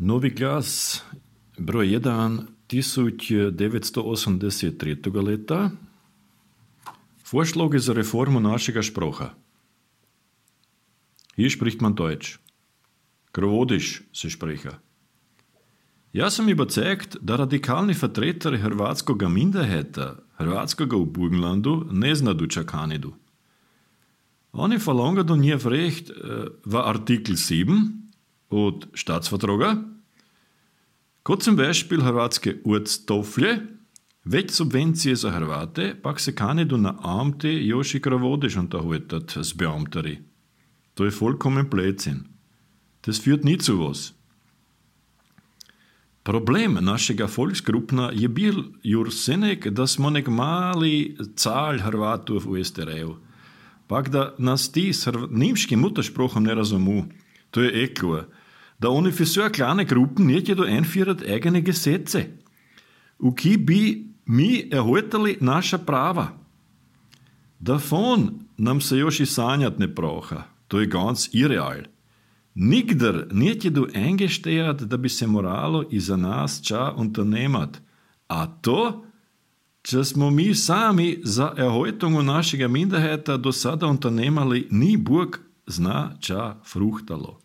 Novi glas, broj 1, 1983. leta. Vorschläge zur Reformu našega Sprache. Hier spricht man Deutsch. Krovodisch se spreche. Ja sam überzeugt, da radikalni vertretari hrvatskoga minderheta, hrvatskoga u Burgenlandu, ne znadu čakanidu. Oni verlangen njev recht v Artikel 7 od Staatsvertraga, kot zum Beispiel hrvatske Ortstoflje, več subvencije za Hrvate, pak se kanidu na Amte još i Krovodisch unterhaltet s Beamteri. To je vollkommen Blödsinn. Das führt nie zu was. Problem našega Volksgrupna je bil jursenek, da smo nek mali cal Hrvatov v STR-u. Pak da nas ti s nemškim Muttersprachom ne razumu. To je klar. Da oni für so kleine Gruppen nicht jedo einführen eigene Gesetze. U ki bi mi erhaltali naša prava. Davon nam se još i sanjat ne praha. To je ganz irreal. Nikdar nicht jedo eingestehrt, da bi se moralo i za nas ča unternemat. A to, če smo mi sami za erhaltung našega Minderheita do sada unternemali, ni Bog zna ča fruchtalo.